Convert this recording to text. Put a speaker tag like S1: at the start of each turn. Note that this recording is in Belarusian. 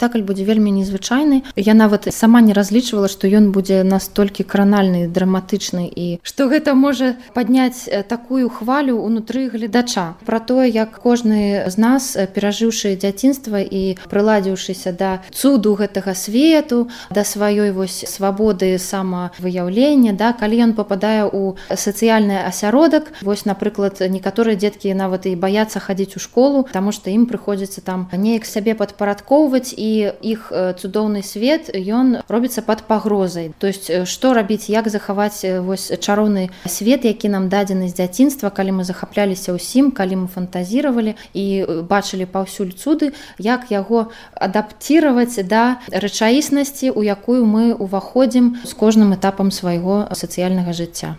S1: спектакль будзе вельмі незвычайны. Я нават сама не разлічвала, што ён будзе настолькі кранальны, драматычны і што гэта можа падняць такую хвалю ўнутры гледача. Пра тое, як кожны з нас, перажыўшы дзяцінства і прыладзіўшыся да цуду гэтага свету, да сваёй вось свабоды самавыяўлення, да, калі ён попадае ў сацыяльны асяродак, вось, напрыклад, некаторыя дзеткі нават і баяцца хадзіць у школу, таму што ім прыходзіцца там неяк сабе падпарадкоўваць, і іх цудоўны свет, ён робіцца пад пагрозай. То есть, што рабіць, як захаваць вось чароўны свет, які нам дадзены з дзяцінства, калі мы захапляліся ўсім, калі мы фантазіравалі і бачылі паўсюль цуды, як яго адаптировать да рэчаіснасці, у якую мы ўваходзім з кожным этапам свайго сацыяльнага жыцця.